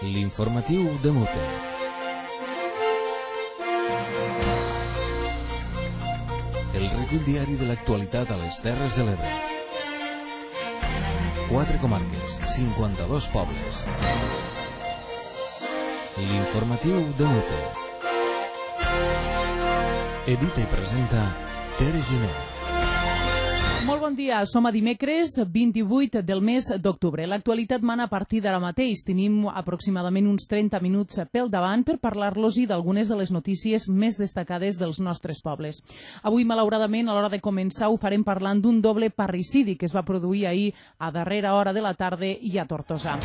L'informatiu de Mute. El recull diari de l'actualitat a les Terres de l'Ebre. 4 comarques, 52 pobles. L'informatiu de Mute. Edita i presenta Tere Giner. Molt bon dia, som a dimecres 28 del mes d'octubre. L'actualitat mana a partir d'ara mateix. Tenim aproximadament uns 30 minuts pel davant per parlar-los-hi d'algunes de les notícies més destacades dels nostres pobles. Avui, malauradament, a l'hora de començar, ho farem parlant d'un doble parricidi que es va produir ahir a darrera hora de la tarda i a Tortosa.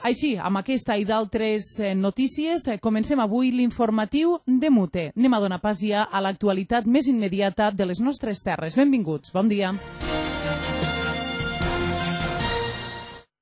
Així, amb aquesta i d'altres notícies, comencem avui l'informatiu de Mute. Anem a donar pas ja a l'actualitat més immediata de les nostres terres. Benvinguts, bon dia.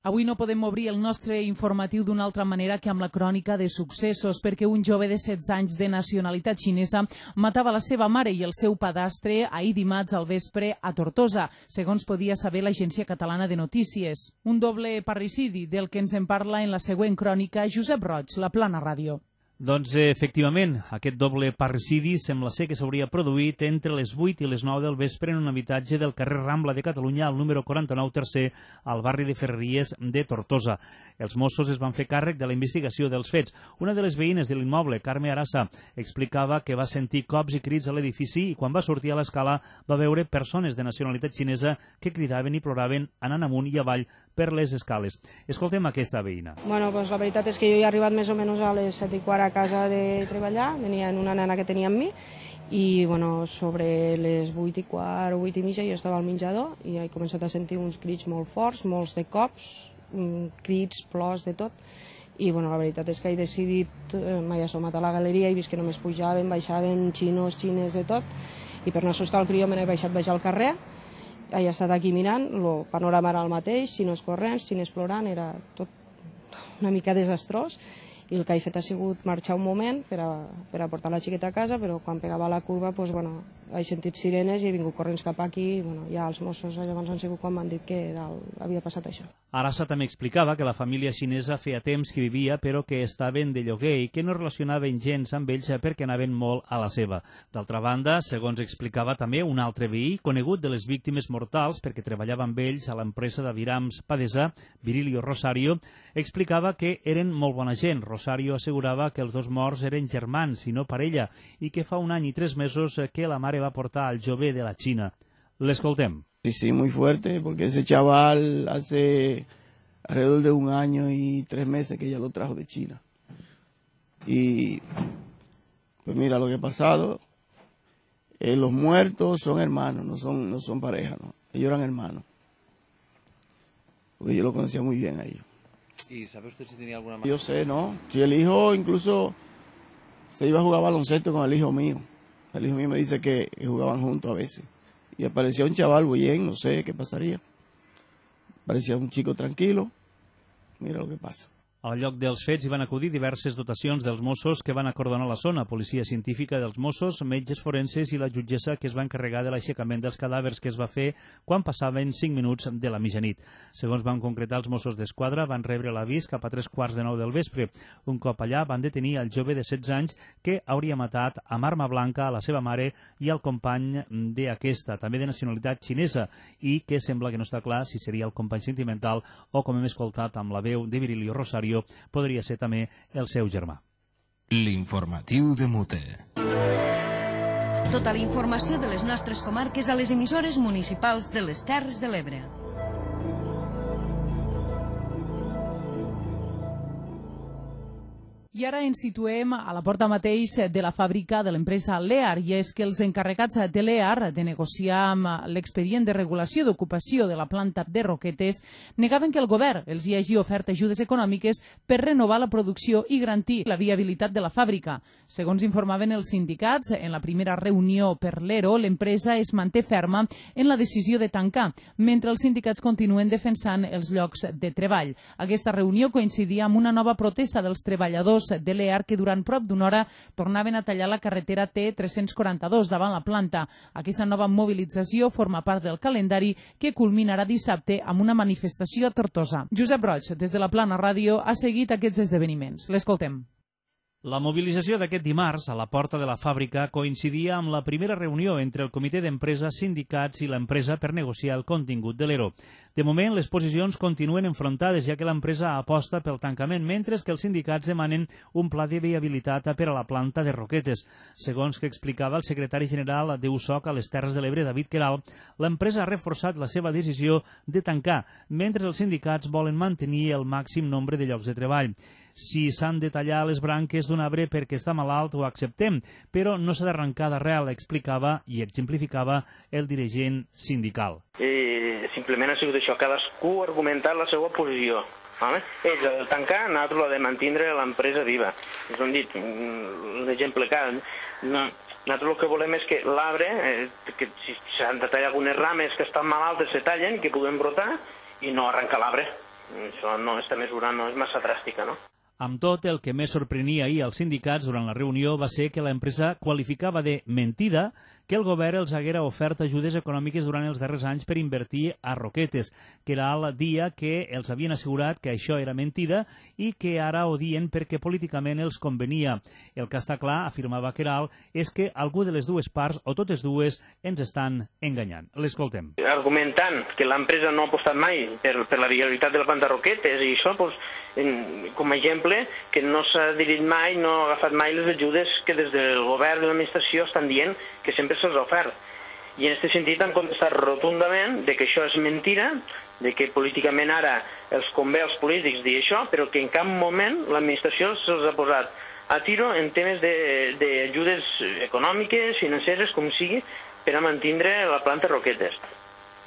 Avui no podem obrir el nostre informatiu d'una altra manera que amb la crònica de successos, perquè un jove de 16 anys de nacionalitat xinesa matava la seva mare i el seu padastre ahir dimarts al vespre a Tortosa, segons podia saber l'Agència Catalana de Notícies. Un doble parricidi del que ens en parla en la següent crònica Josep Roig, La Plana Ràdio. Doncs, efectivament, aquest doble parricidi sembla ser que s'hauria produït entre les 8 i les 9 del vespre en un habitatge del carrer Rambla de Catalunya, al número 49 tercer, al barri de Ferreries de Tortosa. Els Mossos es van fer càrrec de la investigació dels fets. Una de les veïnes de l'immoble, Carme Arassa, explicava que va sentir cops i crits a l'edifici i quan va sortir a l'escala va veure persones de nacionalitat xinesa que cridaven i ploraven anant amunt i avall per les escales. Escoltem aquesta veïna. Bueno, pues la veritat és que jo he arribat més o menys a les 7:15 a casa de treballar, venia en una nena que tenia amb mi i bueno, sobre les 8:15 o 8:30 jo estava al menjador i he començat a sentir uns crits molt forts, molts de cops, crits, plors, de tot. I bueno, la veritat és que he decidit, m'he assomat a la galeria i vist que només pujaven, baixaven, xinos, xines, de tot, i per no assustar el crió me n'he baixat al carrer. He estat aquí mirant, el panorama era el mateix, xinos corrents, xines plorant, era tot una mica desastrós, i el que he fet ha sigut marxar un moment per a portar la xiqueta a casa, però quan pegava la curva pues, bueno, he sentit sirenes i he vingut corrents cap aquí, i bueno, ja els Mossos llavors han sigut quan m'han dit que havia passat això. Arassa també explicava que la família xinesa feia temps que vivia però que estaven de lloguer i que no relacionaven gens amb ells perquè anaven molt a la seva. D'altra banda, segons explicava també un altre veí conegut de les víctimes mortals perquè treballava amb ells a l'empresa d'avirams Padesa, Virilio Rosario, explicava que eren molt bona gent. Rosario assegurava que els dos morts eren germans i no parella i que fa 1 any i 3 mesos que la mare va portar al jove de la Xina. L'escoltem. Sí, muy fuerte, porque ese chaval hace alrededor de 1 año y 3 meses que ya lo trajo de China. Y pues mira lo que ha pasado. Los muertos son hermanos, no son pareja, ¿no? Ellos eran hermanos. Porque yo lo conocía muy bien a ellos. ¿Y sabe usted si tenía alguna... Yo sé, ¿no? Si el hijo incluso se iba a jugar baloncesto con el hijo mío. El hijo mío me dice que jugaban juntos a veces. Y aparecía un chaval bien, no sé qué pasaría. Parecía un chico tranquilo. Mira lo que pasa. Al lloc dels fets hi van acudir diverses dotacions dels Mossos que van acordonar la zona, policia científica dels Mossos, metges forenses i la jutgessa que es va encarregar de l'aixecament dels cadàvers que es va fer quan passaven 5 minuts de la mitjanit. Segons van concretar els Mossos d'Esquadra, van rebre l'avís cap a 3:15 del vespre. Un cop allà van detenir el jove de 16 anys que hauria matat amb arma blanca a la seva mare i al company d'aquesta, també de nacionalitat xinesa, i que sembla que no està clar si seria el company sentimental o, com hem escoltat amb la veu de Virilio Rosario, podria ser també el seu germà. L'informatiu de Mute. Tota la informació de les nostres comarques a les emissores municipals de les Terres de l'Ebre. I ara ens situem a la porta mateix de la fàbrica de l'empresa Lear, i és que els encarregats de Lear de negociar amb l'expedient de regulació d'ocupació de la planta de Roquetes negaven que el govern els hi hagi ofert ajudes econòmiques per renovar la producció i garantir la viabilitat de la fàbrica. Segons informaven els sindicats, en la primera reunió per l'ERO, l'empresa es manté ferma en la decisió de tancar, mentre els sindicats continuen defensant els llocs de treball. Aquesta reunió coincidia amb una nova protesta dels treballadors de l'EAR que durant prop d'una hora tornaven a tallar la carretera T342 davant la planta. Aquesta nova mobilització forma part del calendari que culminarà dissabte amb una manifestació a Tortosa. Josep Roig, des de la Plana Ràdio, ha seguit aquests esdeveniments. L'escoltem. La mobilització d'aquest dimarts a la porta de la fàbrica coincidia amb la primera reunió entre el comitè d'empresa, sindicats i l'empresa per negociar el contingut de l'ERO. De moment, les posicions continuen enfrontades, ja que l'empresa aposta pel tancament, mentre que els sindicats demanen un pla de viabilitat per a la planta de Roquetes. Segons que explicava el secretari general d'USOC a les Terres de l'Ebre, David Queralt, l'empresa ha reforçat la seva decisió de tancar, mentre els sindicats volen mantenir el màxim nombre de llocs de treball. Si s'han de tallar les branques d'un arbre perquè està malalt, ho acceptem, però no s'ha d'arrencar d'arrel, explicava i exemplificava el dirigent sindical. Simplement ha sigut això, cadascú ha argumentat la seva posició. Vale? Ells el tancar, nosaltres l'ha de mantindre l'empresa viva. Ens ho han dit, un exemple clar. Nosaltres el que volem és que l'arbre, que si s'han de tallar algunes rames que estan malaltes, se tallen, que puguem brotar i no arrencar l'arbre. Això no, aquesta mesura no és massa dràstica, no? Amb tot, el que més sorprenia ahir als sindicats durant la reunió va ser que l'empresa qualificava de mentida que el govern els haguera ofert ajudes econòmiques durant els darrers anys per invertir a Roquetes, que era el dia que els havien assegurat que això era mentida i que ara ho dien perquè políticament els convenia. El que està clar, afirmava Queralt, és que algú de les dues parts, o totes dues, ens estan enganyant. L'escoltem. Argumentant que l'empresa no ha apostat mai per la viabilitat de la planta Roquetes i això, doncs, com a exemple, que no s'ha dirit mai, no ha agafat mai les ajudes que des del govern de l'administració estan dient que sempre se'ls ha ofert. I en aquest sentit han contestat rotundament de que això és mentira, de que políticament ara els convé als polítics dir això, però que en cap moment l'administració se'ls ha posat a tiro en temes d'ajudes econòmiques, financeres, com sigui, per a mantindre la planta Roquetes.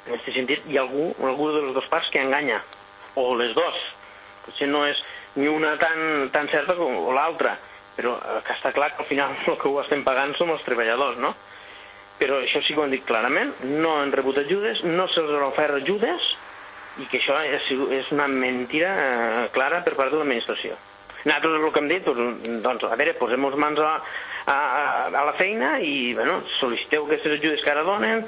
En aquest sentit hi ha algú de les dues parts que enganya, o les dues. Potser no és ni una tan certa com l'altra, però que està clar que al final el que ho estem pagant som els treballadors, no? Però això sí que ho han dit clarament, no han rebut ajudes, no se'ls han ofert ajudes i que això és una mentira clara per part de l'administració. Nosaltres el que hem dit, doncs, a veure, posem-nos mans a la feina i, bueno, sol·liciteu aquestes ajudes que ara donen,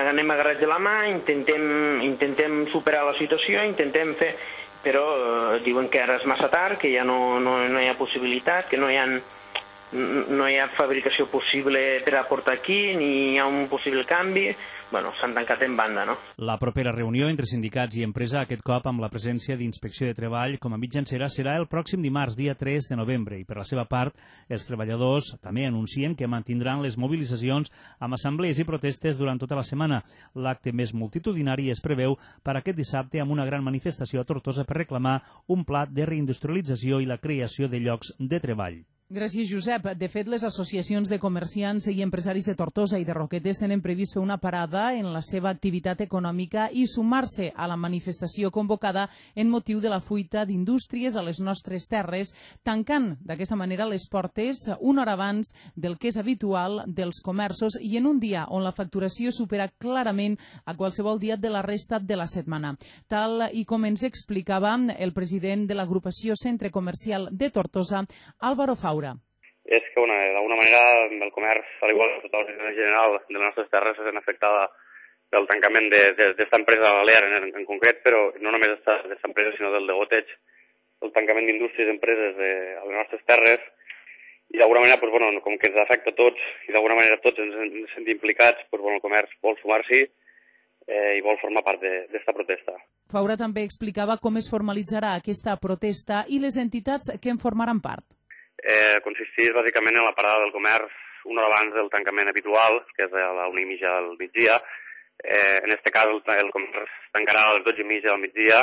anem agarrats de la mà, intentem superar la situació, intentem fer... Però diuen que ara és massa tard, que ja no hi ha possibilitat, que no hi ha fabricació possible per aportar aquí, ni hi ha un possible canvi. Bueno, s'han tancat en banda, no? La propera reunió entre sindicats i empresa, aquest cop amb la presència d'Inspecció de Treball com a mitjancera, serà el pròxim dimarts, dia 3 de novembre. I per la seva part, els treballadors també anuncien que mantindran les mobilitzacions amb assemblees i protestes durant tota la setmana. L'acte més multitudinari es preveu per aquest dissabte amb una gran manifestació a Tortosa per reclamar un pla de reindustrialització i la creació de llocs de treball. Gràcies, Josep. De fet, les associacions de comerciants i empresaris de Tortosa i de Roquetes tenen previst fer una parada en la seva activitat econòmica i sumar-se a la manifestació convocada en motiu de la fuita d'indústries a les nostres terres, tancant d'aquesta manera les portes una hora abans del que és habitual dels comerços i en un dia on la facturació supera clarament a qualsevol dia de la resta de la setmana. Tal i com ens explicava el president de l'agrupació Centre Comercial de Tortosa, Álvaro Faura. És que d'alguna manera el comerç, al igual que tota la situació general de les nostres terres, és afectada pel tancament d'esta empresa, l'EAR en concret, però no només d'esta empresa, sinó del de goteig, el tancament d'indústries i empreses a les nostres terres, i d'alguna manera, com que ens afecta a tots, i d'alguna manera tots ens sentim implicats, el comerç vol sumar-s'hi i vol formar part d'esta protesta. Faura també explicava com es formalitzarà aquesta protesta i les entitats que en formaran part. Consisteix bàsicament en la parada del comerç una hora abans del tancament habitual, que és a la 1:30 del migdia. En aquest cas el comerç tancarà a les 12:30 del migdia,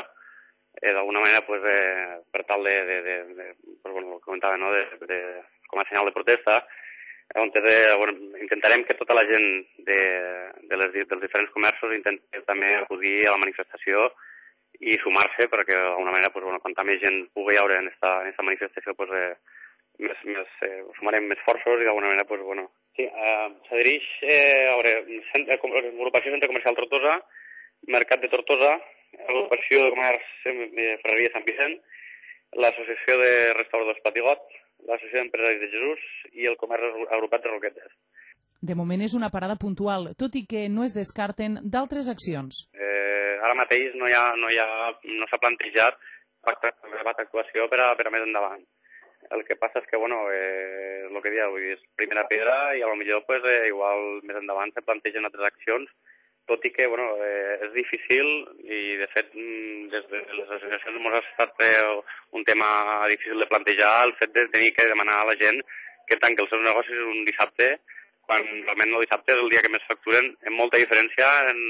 d'alguna manera per tal com comentava, com a senyal de protesta, on intentarem que tota la gent dels diferents comerços intenti també acudir a la manifestació i sumar-se perquè d'alguna manera quanta més gent pugui haure en aquesta manifestació sumarem més forços i d'alguna manera sí, s'adhereix l'agrupació Centre Comercial Tortosa, Mercat de Tortosa, l'agrupació de comerç de Ferreria Sant Vicent l'Associació de Restauradors Patigot, l'Associació d'Empresaris de Jesús i el Comerç Agrupat de Roquetes. De moment és una parada puntual, tot i que no es descarten d'altres accions. Ara mateix no s'ha plantejat cap actuació per a més endavant. El que passa és que, el que dieu, és primera pedra i potser igual més endavant se plantegen altres accions, tot i que és difícil i, de fet, des de les associacions ens ha estat un tema difícil de plantejar el fet de tenir que demanar a la gent que tanqui els seus negocis un dissabte, quan realment el dissabte és el dia que més facturen, amb molta diferència en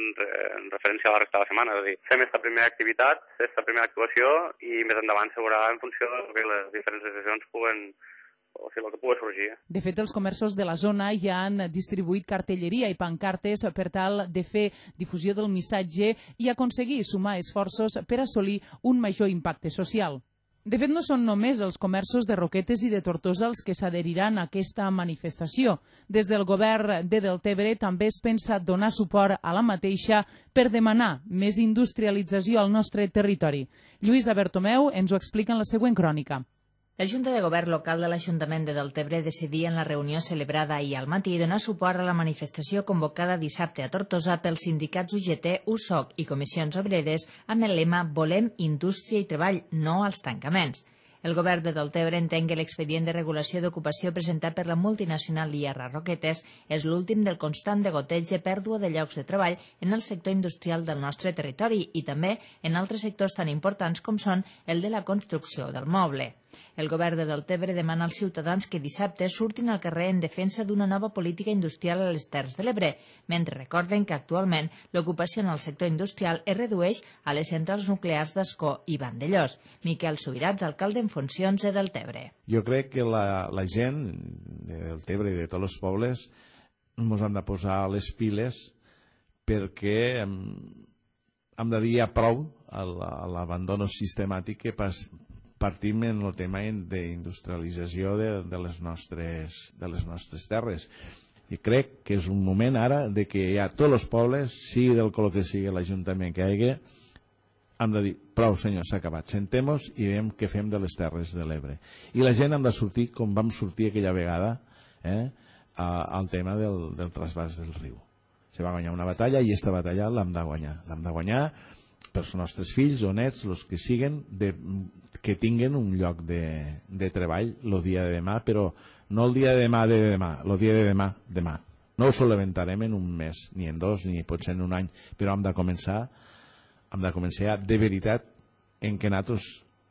referència a la resta de la setmana. És a dir, fem aquesta primera activitat, aquesta primera actuació, i més endavant se veurà en funció del que les diferents associacions puguen, o sigui, el que pugui sorgir. De fet, els comerços de la zona ja han distribuït cartelleria i pancartes per tal de fer difusió del missatge i aconseguir sumar esforços per assolir un major impacte social. De fet, no són només els comerços de Roquetes i de Tortosa els que s'adheriran a aquesta manifestació. Des del govern de Deltebre també es pensa donar suport a la mateixa per demanar més industrialització al nostre territori. Lluïsa Bertomeu ens ho explica en la següent crònica. La Junta de Govern local de l'Ajuntament de Deltebre decidia en la reunió celebrada ahir al matí donar suport a la manifestació convocada dissabte a Tortosa pels sindicats UGT, USOC i comissions obreres amb el lema «Volem indústria i treball, no als tancaments». El govern de Deltebre entén que l'expedient de regulació d'ocupació presentat per la multinacional IR Roquetes és l'últim del constant degoteig de pèrdua de llocs de treball en el sector industrial del nostre territori i també en altres sectors tan importants com són el de la construcció del moble. El govern de Deltebre demana als ciutadans que dissabte surtin al carrer en defensa d'una nova política industrial a les Terres de l'Ebre, mentre recorden que actualment l'ocupació en el sector industrial es redueix a les centrals nuclears d'Ascó i Vandellós. Miquel Subirats, alcalde en funcions de Deltebre. Jo crec que la gent de Deltebre i de tots els pobles ens hem de posar les piles perquè hem de dir prou a l'abandono sistemàtic que partim en el tema d'industrialització de les nostres terres. I crec que és un moment ara de que ja tots els pobles, sigui del color que sigui l'Ajuntament que hi hagi, hem de dir, prou senyor, s'ha acabat, sentem-nos i veiem què fem de les Terres de l'Ebre. I la gent hem de sortir com vam sortir aquella vegada al tema del trasbàs del riu. Se va guanyar una batalla i aquesta batalla l'hem de guanyar. L'hem de guanyar pels nostres fills o nets, els que siguen, que tinguen un lloc de treball el dia de demà, però no el dia de demà, el dia de demà. No ho solventarem en un mes, ni en dos, ni potser en un any, però hem de començar de veritat en què nosaltres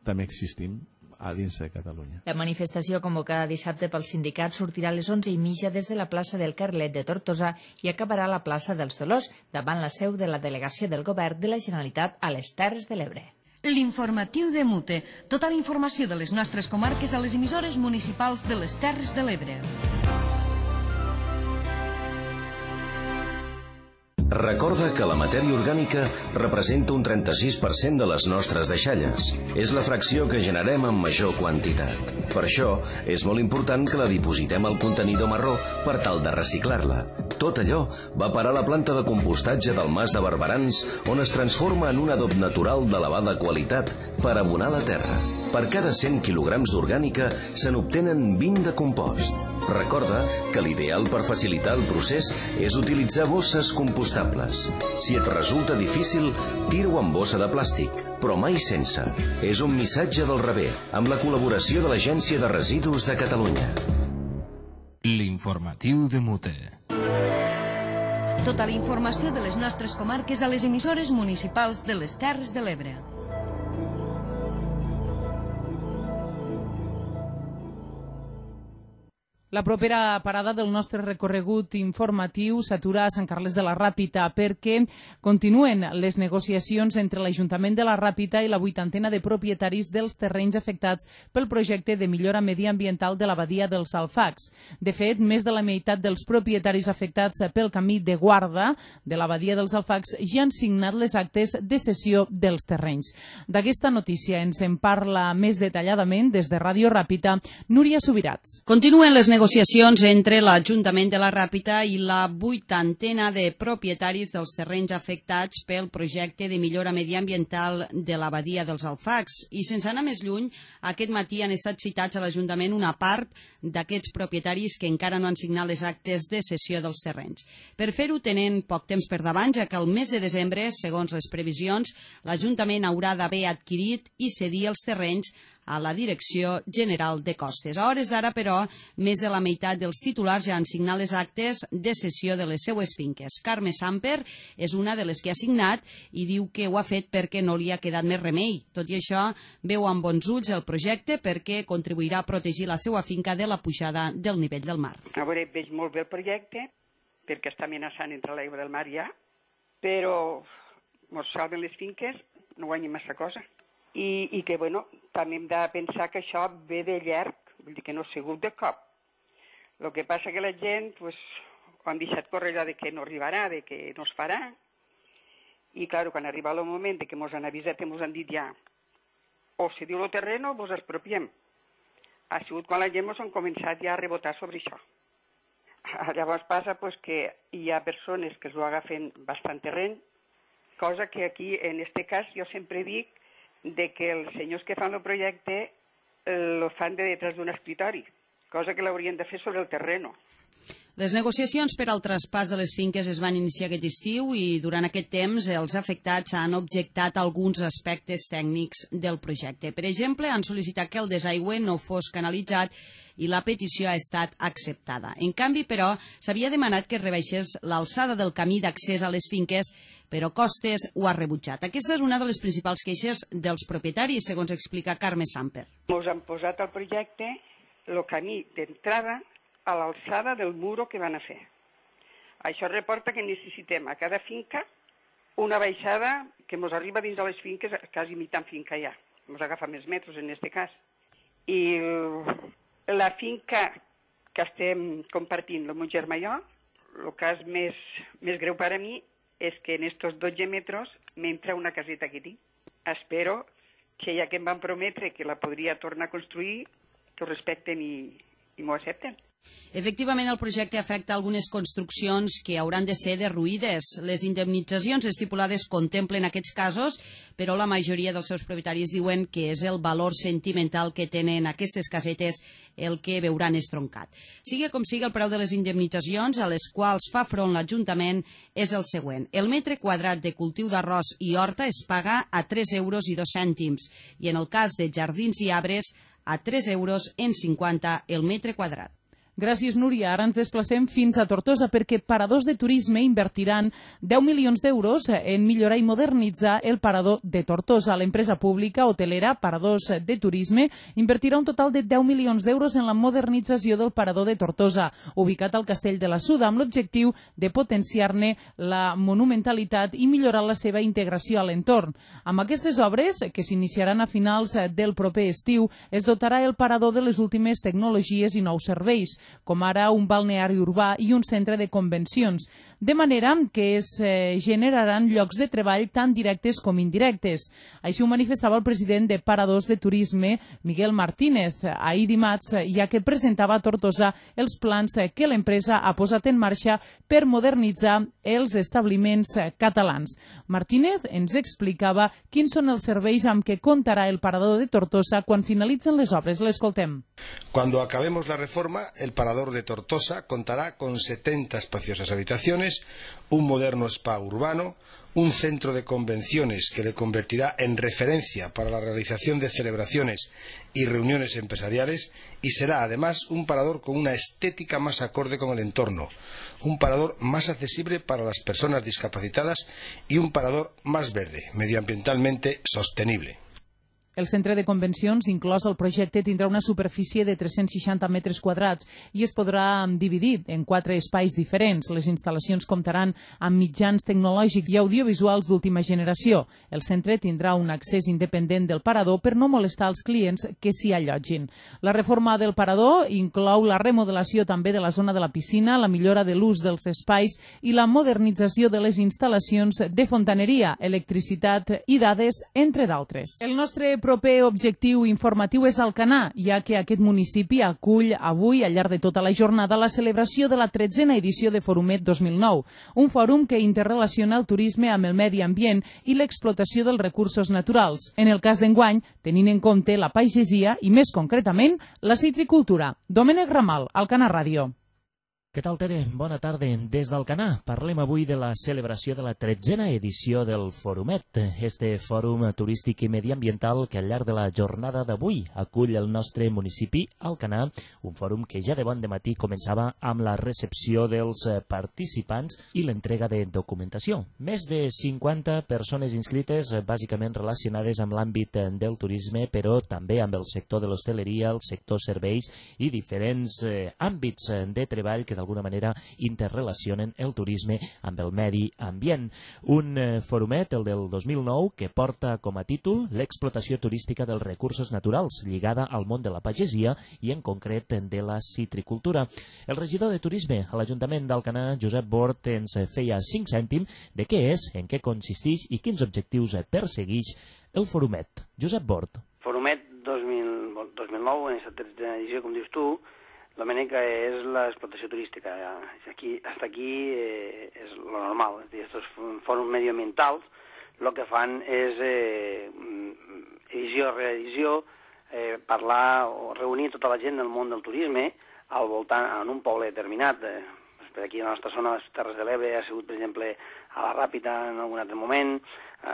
també existim a dins de Catalunya. La manifestació convocada dissabte pels sindicats sortirà a les 11:30 des de la plaça del Carlet de Tortosa i acabarà a la plaça dels Dolors, davant la seu de la delegació del govern de la Generalitat a les Terres de l'Ebre. L'informatiu de Mute. Tota la informació de les nostres comarques a les emissores municipals de les Terres de l'Ebre. Recorda que la matèria orgànica representa un 36% de les nostres deixalles. És la fracció que generem en major quantitat. Per això, és molt important que la dipositem al contenidor marró per tal de reciclar-la. Tot allò va parar a la planta de compostatge del Mas de Barberans, on es transforma en un adob natural d'elevada qualitat per abonar la terra. Per cada 100 quilograms d'orgànica se n'obtenen 20 de compost. Recorda que l'ideal per facilitar el procés és utilitzar bosses compostables. Si et resulta difícil, tira-ho en bossa de plàstic, però mai sense. És un missatge del Rebé, amb la col·laboració de l'Agència de Residus de Catalunya. L'informatiu de Mute. Tota la informació de les nostres comarques a les emissores municipals de les Terres de l'Ebre. La propera parada del nostre recorregut informatiu s'atura a Sant Carles de la Ràpita perquè continuen les negociacions entre l'Ajuntament de la Ràpita i la 80ena de propietaris dels terrenys afectats pel projecte de millora mediambiental de la badia dels Alfacs. De fet, més de la meitat dels propietaris afectats pel camí de guarda de la badia dels Alfacs ja han signat les actes de cessió dels terrenys. D'aquesta notícia ens en parla més detalladament des de Ràdio Ràpita, Núria Subirats. Continuen les negociacions negociacions entre l'Ajuntament de la Ràpita i la 80ena de propietaris dels terrenys afectats pel projecte de millora mediambiental de la badia dels Alfacs. I sense anar més lluny, aquest matí han estat citats a l'Ajuntament una part d'aquests propietaris que encara no han signat les actes de cessió dels terrenys. Per fer-ho tenen poc temps per davant, ja que el mes de desembre, segons les previsions, l'Ajuntament haurà d'haver adquirit i cedir els terrenys a la Direcció General de Costes. A hores d'ara, però, més de la meitat dels titulars ja han signat les actes de cessió de les seues finques. Carme Samper és una de les que ha signat i diu que ho ha fet perquè no li ha quedat més remei. Tot i això, veu amb bons ulls el projecte perquè contribuirà a protegir la seva finca de la pujada del nivell del mar. A veure, veig molt bé el projecte perquè està amenaçant entre l'aigua del mar ja, però ens salven les finques, no guanyen massa cosa. I que, bueno, també hem de pensar que això ve de llarg, vull dir que no ha sigut de cop. El que passa que la gent, pues, ho han deixat córrer de que no arribarà, de que no es farà, i, clar, quan arriba el moment de que ens han avisat i ens han dit ja, o cediu el terreno o ens expropiem. Ha sigut quan la gent ens han començat ja a rebotar sobre això. Llavors passa pues, que hi ha persones que s'ho agafen bastant terreny, cosa que aquí, en este cas, jo sempre dic de que els senyors que fan el projecte lo fan de detrás d'un escritori, cosa que l'haurien de fer sobre el terreno. Les negociacions per al traspàs de les finques es van iniciar aquest estiu i durant aquest temps els afectats han objectat alguns aspectes tècnics del projecte. Per exemple, han sol·licitat que el desaigüe no fos canalitzat i la petició ha estat acceptada. En canvi, però, s'havia demanat que es rebaixés l'alçada del camí d'accés a les finques, però Costes ho ha rebutjat. Aquesta és una de les principals queixes dels propietaris, segons explica Carme Samper. Ens han posat al projecte el camí d'entrada a l'alçada del muro que van a fer. Això reporta que necessitem a cada finca una baixada que ens arriba dins de les finques, quasi mitant finca ja. Ens agafa més metres en aquest cas. I la finca que estem compartint, el meu germà i jo, el cas més greu per a mi és que en estos 12 metres m'entra una caseta que tinc. Espero que ja que em van prometre que la podria tornar a construir, que ho respecten i m'ho accepten. Efectivament, el projecte afecta algunes construccions que hauran de ser derruïdes. Les indemnitzacions estipulades contemplen aquests casos, però la majoria dels seus propietaris diuen que és el valor sentimental que tenen aquestes casetes el que veuran estroncat. Sigui com sigui, el preu de les indemnitzacions a les quals fa front l'Ajuntament és el següent. El metre quadrat de cultiu d'arròs i horta es paga a 3,02 € i en el cas de jardins i arbres a 3,50 € el metre quadrat. Gràcies, Núria. Ara ens desplacem fins a Tortosa perquè paradors de turisme invertiran 10 milions d'euros en millorar i modernitzar el parador de Tortosa. L'empresa pública hotelera Paradors de Turisme invertirà un total de 10 milions d'euros en la modernització del parador de Tortosa, ubicat al Castell de la Suda, amb l'objectiu de potenciar-ne la monumentalitat i millorar la seva integració a l'entorn. Amb aquestes obres, que s'iniciaran a finals del proper estiu, es dotarà el parador de les últimes tecnologies i nous serveis, com ara un balneari urbà i un centre de convencions, de manera que es generaran llocs de treball tant directes com indirectes. Així ho manifestava el president de Paradors de Turisme, Miguel Martínez, ahir dimarts, ja que presentava a Tortosa els plans que l'empresa ha posat en marxa per modernitzar els establiments catalans. Martínez ens explicava quins són els serveis amb què comptarà el Parador de Tortosa quan finalitzen les obres. L'escoltem. Cuando acabemos la reforma, el Parador de Tortosa contará con 70 espaciosas habitaciones, un moderno spa urbano, un centro de convenciones que le convertirá en referencia para la realización de celebraciones y reuniones empresariales y será además un parador con una estética más acorde con el entorno, un parador más accesible para las personas discapacitadas y un parador más verde, medioambientalmente sostenible. El centre de convencions, inclòs el projecte, tindrà una superfície de 360 metres quadrats i es podrà dividir en 4 espais diferents. Les instal·lacions comptaran amb mitjans tecnològics i audiovisuals d'última generació. El centre tindrà un accés independent del parador per no molestar els clients que s'hi allotgin. La reforma del parador inclou la remodelació també de la zona de la piscina, la millora de l'ús dels espais i la modernització de les instal·lacions de fontaneria, electricitat i dades, entre d'altres. El nostre proper objectiu informatiu és Alcanar, ja que aquest municipi acull avui, al llarg de tota la jornada, la celebració de la 13a edició de Forumet 2009, un fòrum que interrelaciona el turisme amb el medi ambient i l'explotació dels recursos naturals. En el cas d'enguany, tenint en compte la pagesia i, més concretament, la citricultura. Domènec Ramal, Alcanar Ràdio. Què tal, Tere? Bona tarda. Des d'Alcanar parlem avui de la celebració de la 13a edició del Forumet, este fòrum turístic i mediambiental que al llarg de la jornada d'avui acull el nostre municipi, Alcanar, un fòrum que ja de bon dematí començava amb la recepció dels participants i l'entrega de documentació. Més de 50 persones inscrites, bàsicament relacionades amb l'àmbit del turisme, però també amb el sector de l'hostaleria, el sector serveis i diferents àmbits de treball que d'alguna manera interrelacionen el turisme amb el medi ambient. Un forumet, el del 2009, que porta com a títol l'explotació turística dels recursos naturals lligada al món de la pagesia i en concret de la citricultura. El regidor de turisme a l'Ajuntament d'Alcanar, Josep Bort, ens feia 5 cèntims de què és, en què consisteix i quins objectius persegueix el forumet. Josep Bort. Forumet 2009, en aquesta 13a edició, com dius tu, la manera és l'explotació turística. Hasta aquí és lo normal. Estos fòrums medioambientals el que fan és edició rere edició, parlar o reunir tota la gent del món del turisme al voltant, en un poble determinat. Per aquí a la nostra zona, a les Terres de l'Ebre, ha sigut, per exemple, a la Ràpita en algun altre moment, a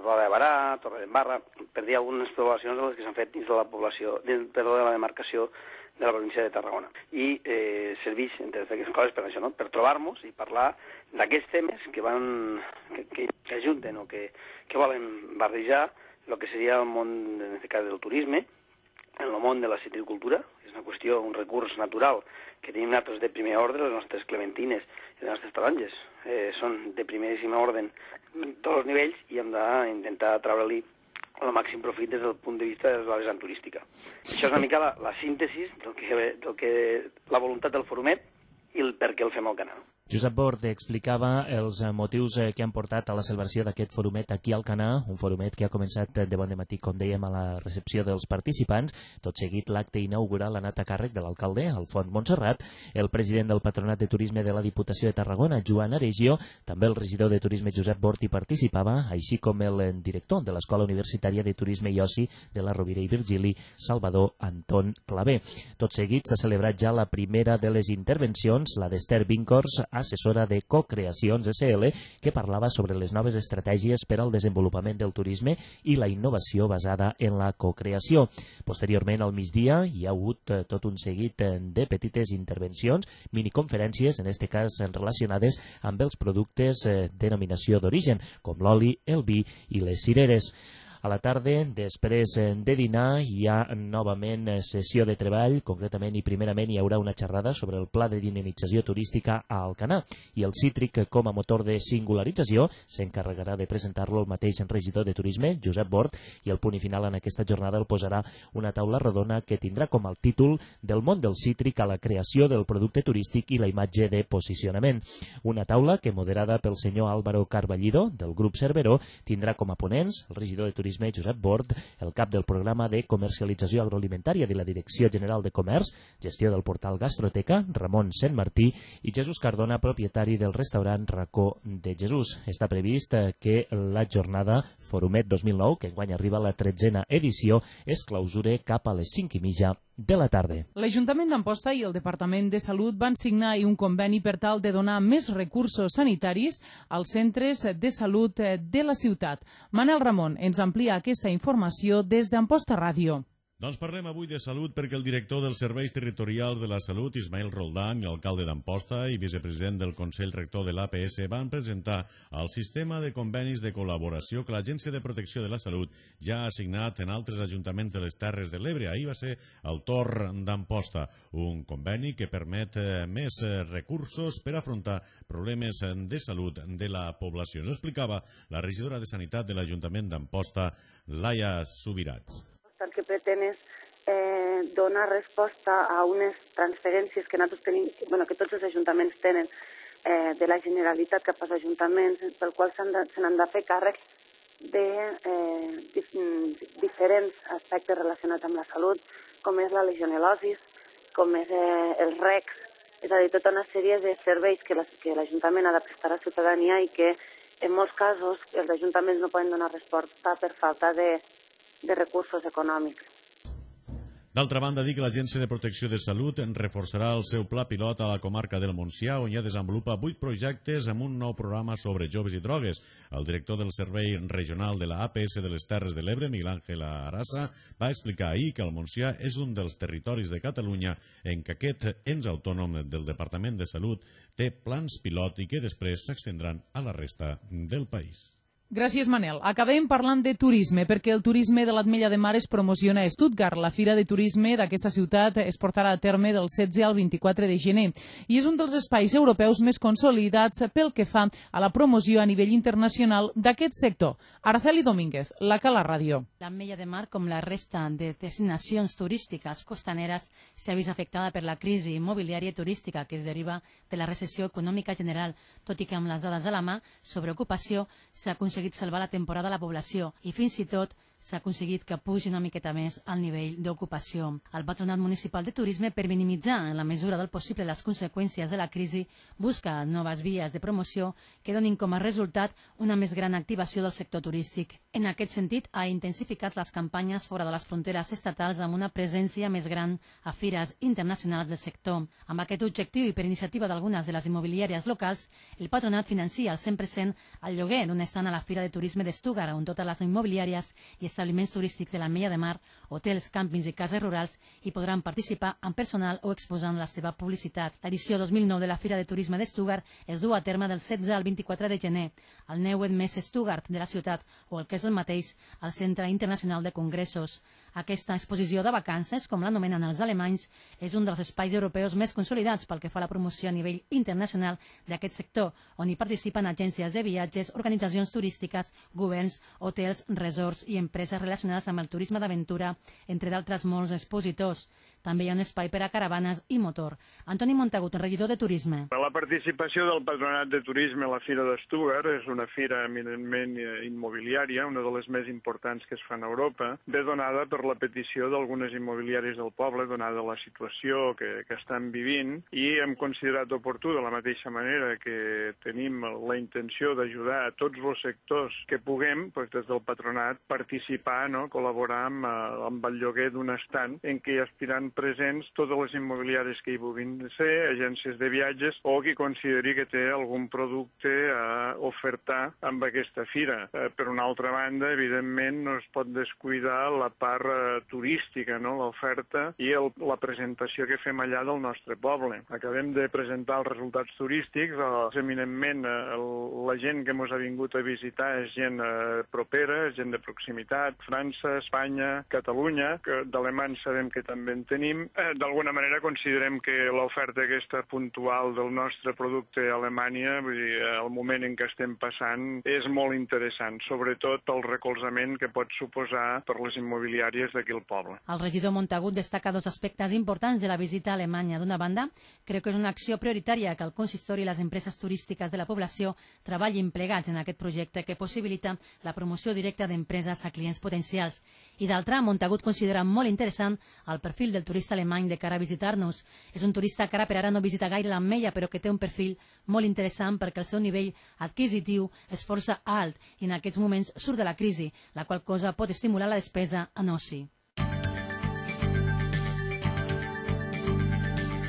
Roda de Barà, Torre d'Embarra, per dir algunes poblacions de les que s'han fet dins de la població, de la demarcació de la província de Tarragona. I serveix, entre aquestes coses, per això, no? Per trobar-nos i parlar d'aquests temes que ajunten o que volen barrejar el que seria el món, en aquest cas, del turisme, en el món de la citricultura. És una qüestió, un recurs natural que tenim nosaltres de primer ordre, les nostres clementines i les nostres taronges són de primeríssim ordre en tots els nivells i hem d'intentar treure-li el màxim profit des del punt de vista de la vessant turística. Això és una mica la síntesi del que la voluntat del forumet i el per què el fem al canal. Josep Bort explicava els motius que han portat a la celebració d'aquest forumet aquí al Alcanar, un forumet que ha començat de bon dematí, com dèiem, a la recepció dels participants. Tot seguit, l'acte inaugural ha anat a càrrec de l'alcalde, Alfons Montserrat, el president del Patronat de Turisme de la Diputació de Tarragona, Joan Aregio, també el regidor de Turisme Josep Bort hi participava, així com el director de l'Escola Universitària de Turisme i Oci de la Rovira i Virgili, Salvador Anton Clavé. Tot seguit s'ha celebrat ja la primera de les intervencions, la d'Esther Vincors, assessora de Cocreacions SL, que parlava sobre les noves estratègies per al desenvolupament del turisme i la innovació basada en la cocreació. Posteriorment, al migdia, hi ha hagut tot un seguit de petites intervencions, miniconferències, en aquest cas relacionades amb els productes denominació d'origen, com l'oli, el vi i les cireres. A la tarda, després de dinar, hi ha novament sessió de treball, concretament i primerament hi haurà una xerrada sobre el pla de dinamització turística a Alcanar i el cítric com a motor de singularització s'encarregarà de presentar-lo el mateix regidor de Turisme, Josep Bort, i el punt final en aquesta jornada el posarà una taula rodona que tindrà com el títol del món del cítric a la creació del producte turístic i la imatge de posicionament. Una taula que, moderada pel senyor Álvaro Carballido, del grup Cerveró, tindrà com a ponents el regidor de Turisme Josep Bort, el cap del programa de comercialització agroalimentària de la Direcció General de Comerç, gestió del portal Gastroteca, Ramon Sentmartí, i Jesús Cardona, propietari del restaurant Racó de Jesús. Està previst que la jornada Forumet 2009, que enguany arriba a la 13a edició, es clausure cap a les 5:30 de la tarda. L'Ajuntament d'Amposta i el Departament de Salut van signar un conveni per tal de donar més recursos sanitaris als centres de salut de la ciutat. Manel Ramon ens amplia aquesta informació des d'Amposta Ràdio. Doncs parlem avui de salut perquè el director dels Serveis Territorials de la Salut, Ismael Roldán, i l'alcalde d'Amposta i vicepresident del Consell Rector de l'APS van presentar el sistema de convenis de col·laboració que l'Agència de Protecció de la Salut ja ha assignat en altres ajuntaments de les Terres de l'Ebre. Ahir va ser el torn d'Amposta, un conveni que permet més recursos per afrontar problemes de salut de la població. Ens explicava la regidora de Sanitat de l'Ajuntament d'Amposta, Laia Subirats. El que pretén és donar resposta a unes transferències que nosaltres tenim, que tots els ajuntaments tenen de la Generalitat cap als ajuntaments, pel qual se n'han de fer càrrec de diferents aspectes relacionats amb la salut, com és la legionel·losi, com és els recs, és a dir, tota una sèrie de serveis que l'Ajuntament ha de prestar a la ciutadania i que en molts casos els ajuntaments no poden donar resposta per falta de recursos econòmics. D'altra banda, dic que l'Agència de Protecció de Salut reforçarà el seu pla pilot a la comarca del Montsià, on ja desenvolupa 8 projectes amb un nou programa sobre joves i drogues. El director del Servei Regional de la APS de les Terres de l'Ebre, Miguel Ángel Arasa, va explicar ahir que el Montsià és un dels territoris de Catalunya en què aquest ens autònom del Departament de Salut té plans pilot i que després s'extendran a la resta del país. Gràcies, Manel. Acabem parlant de turisme, perquè el turisme de l'Ametlla de Mar es promociona a Stuttgart. La Fira de Turisme d'aquesta ciutat es portarà a terme del 16 al 24 de gener i és un dels espais europeus més consolidats pel que fa a la promoció a nivell internacional d'aquest sector. Araceli Domínguez, la Cala Ràdio. L'Ametlla de Mar, com la resta de destinacions turístiques costaneres, s'ha vist afectada per la crisi immobiliària i turística que es deriva de la recessió econòmica general, tot i que amb les dades a la mà sobre ocupació s'ha aconseguit salvar la temporada a la població i fins i tot s'ha aconseguit que pugi una miqueta més al nivell d'ocupació. El Patronat Municipal de Turisme, per minimitzar en la mesura del possible les conseqüències de la crisi, busca noves vies de promoció que donin com a resultat una més gran activació del sector turístic. En aquest sentit, ha intensificat les campanyes fora de les fronteres estatals amb una presència més gran a fires internacionals del sector. Amb aquest objectiu i per iniciativa d'algunes de les immobiliàries locals, el Patronat financia al 100% el lloguer d'un estant a la Fira de Turisme de Stuttgart, on totes les immobiliàries i establiments turístics de l'Ametlla de Mar, hotels, càmpings i cases rurals hi podran participar amb personal o exposant la seva publicitat. L'edició 2009 de la Fira de Turisme de Stuttgart es du a terme del 16 al 24 de gener al Neues Messe Stuttgart de la ciutat o el que és el mateix al Centre Internacional de Congressos. Aquesta exposició de vacances, com l'anomenen els alemanys, és un dels espais europeus més consolidats pel que fa a la promoció a nivell internacional d'aquest sector, on hi participen agències de viatges, organitzacions turístiques, governs, hotels, resorts i empreses relacionades amb el turisme d'aventura, entre d'altres molts expositors. També hi ha un espai per a caravanes i motor. Antoni Montagut, regidor de Turisme. La participació del Patronat de Turisme a la Fira de Stuttgart és una fira eminentment immobiliària, una de les més importants que es fa a Europa, ve donada per la petició d'algunes immobiliàries del poble, donada la situació que estan vivint, i hem considerat oportú, de la mateixa manera que tenim la intenció d'ajudar a tots els sectors que puguem, des del Patronat, participar, col·laborar amb el lloguer d'un estant en què hi aspiran presents totes les immobiliàries que hi puguin ser, agències de viatges o qui consideri que té algun producte a ofertar amb aquesta fira. Per una altra banda, evidentment, no es pot descuidar la part turística, l'oferta i la presentació que fem allà del nostre poble. Acabem de presentar els resultats turístics, eminentment la gent que ens ha vingut a visitar és gent propera, és gent de proximitat, França, Espanya, Catalunya, que d'alemans sabem que també en tenim. D'alguna manera considerem que l'oferta aquesta puntual del nostre producte a Alemanya, el moment en què estem passant, és molt interessant, sobretot el recolzament que pot suposar per les immobiliàries d'aquí al poble. El regidor Montagut destaca dos aspectes importants de la visita a Alemanya. D'una banda, creu que és una acció prioritària que el consistori i les empreses turístiques de la població treballin plegats en aquest projecte que possibilita la promoció directa d'empreses a clients potencials. I d'altra, Montagut considera molt interessant el perfil del turista alemany de cara a visitar-nos. És un turista que ara per ara no visita gaire l'Ametlla, però que té un perfil molt interessant perquè el seu nivell adquisitiu és força alt i en aquests moments surt de la crisi, la qual cosa pot estimular la despesa en oci.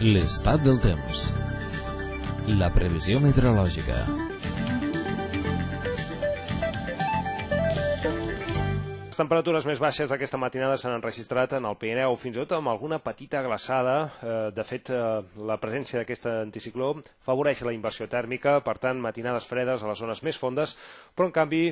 L'estat del temps. La previsió meteorològica. Les temperatures més baixes d'aquesta matinada s'han enregistrat en el Pirineu, fins i tot amb alguna petita glaçada. De fet, la presència d'aquest anticicló favoreix la inversió tèrmica, per tant, matinades fredes a les zones més fondes, però en canvi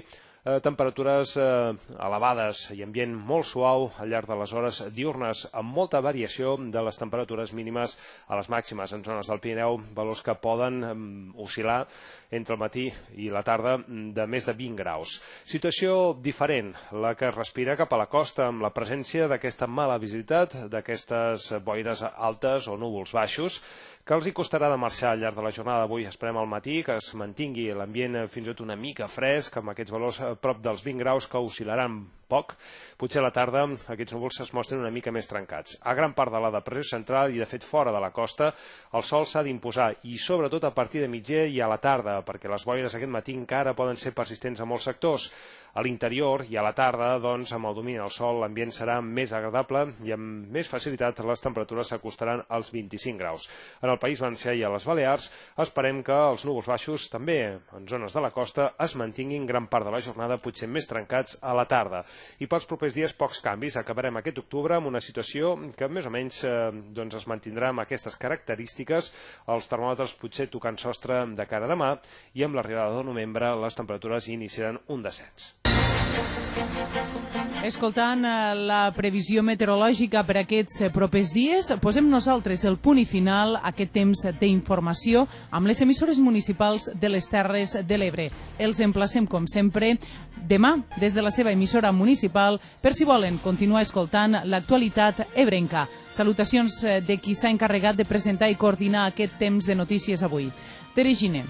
temperatures elevades i ambient molt suau al llarg de les hores diurnes, amb molta variació de les temperatures mínimes a les màximes. En zones del Pirineu, valors que poden oscil·lar entre el matí i la tarda de més de 20 graus. Situació diferent, la que es respira cap a la costa, amb la presència d'aquesta mala visibilitat, d'aquestes boires altes o núvols baixos, que els hi costarà de marxar al llarg de la jornada d'avui. Esperem al matí que es mantingui l'ambient fins i tot una mica fresc, amb aquests valors a prop dels 20 graus que oscil·laran poc. Potser a la tarda aquests núvols es mostren una mica més trencats. A gran part de la depressió central i, de fet, fora de la costa, el sol s'ha d'imposar, i sobretot a partir de migdia i a la tarda, perquè les boires aquest matí encara poden ser persistents a molts sectors. A l'interior i a la tarda, doncs, amb el domini del sol, l'ambient serà més agradable i amb més facilitat les temperatures s'acostaran als 25 graus. En el País Valencià i a les Balears esperem que els núvols baixos, també en zones de la costa, es mantinguin gran part de la jornada, potser més trencats a la tarda. I pels propers dies pocs canvis. Acabarem aquest octubre amb una situació que més o menys es mantindrà amb aquestes característiques, els termòmetres potser tocant sostre de cara a demà, i amb l'arribada de novembre les temperatures iniciaran un descens. Escoltant la previsió meteorològica per aquests propers dies, posem nosaltres el punt i final a aquest temps d'informació amb les emissores municipals de les Terres de l'Ebre. Els emplacem, com sempre, demà des de la seva emissora municipal per si volen continuar escoltant l'actualitat ebrenca. Salutacions de qui s'ha encarregat de presentar i coordinar aquest temps de notícies avui. Tere Giner.